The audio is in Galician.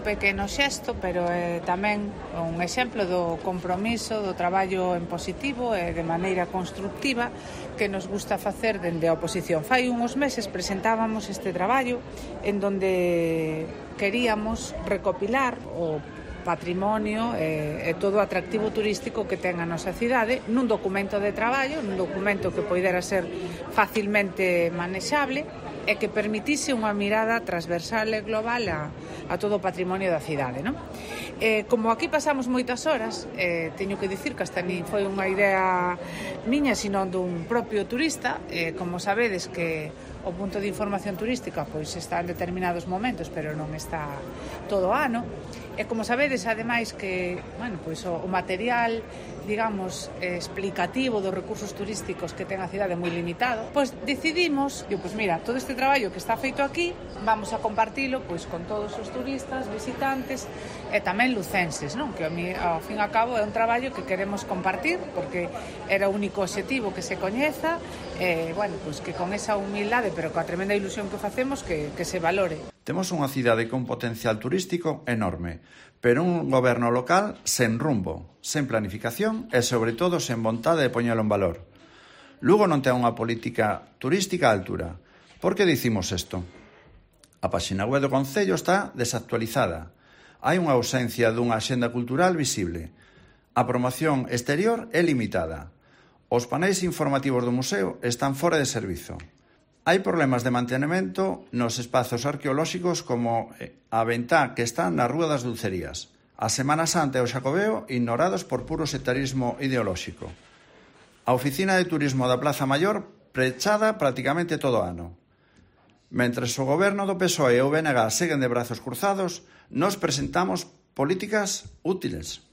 pequeno xesto, pero é tamén un exemplo do compromiso, do traballo en positivo e de maneira constructiva que nos gusta facer dende a oposición. Fai uns meses presentábamos este traballo en donde queríamos recopilar o patrimonio e todo o atractivo turístico que ten a nosa cidade nun documento de traballo, nun documento que poidera ser facilmente manexable e que permitise unha mirada transversal e global a todo o patrimonio da cidade, non? Como aquí pasamos moitas horas, teño que dicir que hasta nin foi unha idea miña, sino dun propio turista. Como sabedes que o punto de información turística pois está en determinados momentos, pero non está todo o ano. E como sabedes, ademais, que pois o material, digamos, explicativo dos recursos turísticos que ten a cidade moi limitado, pois decidimos, pois mira, todo este traballo que está feito aquí, vamos a compartilo pois con todos os turistas, visitantes e tamén lucenses, non? Que ao fin e ao cabo é un traballo que queremos compartir, porque era o único obxectivo que se coñeza, pois que con esa humildade, pero coa tremenda ilusión que facemos, que se valore. Temos unha cidade con potencial turístico enorme, pero un goberno local sen rumbo, sen planificación e, sobre todo, sen vontade de poñelo en valor. Lugo non ten unha política turística á altura. Por que dicimos isto? A páxina web do Concello está desactualizada. Hai unha ausencia dunha axenda cultural visible. A promoción exterior é limitada. Os paneis informativos do museo están fora de servizo. Hai problemas de mantenimento nos espazos arqueolóxicos como a Ventá, que está na Rúa das Dulcerías, a Semana Santa e o Xacobeo ignorados por puro sectarismo ideolóxico. A oficina de turismo da Plaza Maior pechada prácticamente todo o ano. Mentres o goberno do PSOE e o BNG seguen de brazos cruzados, nos presentamos políticas útiles.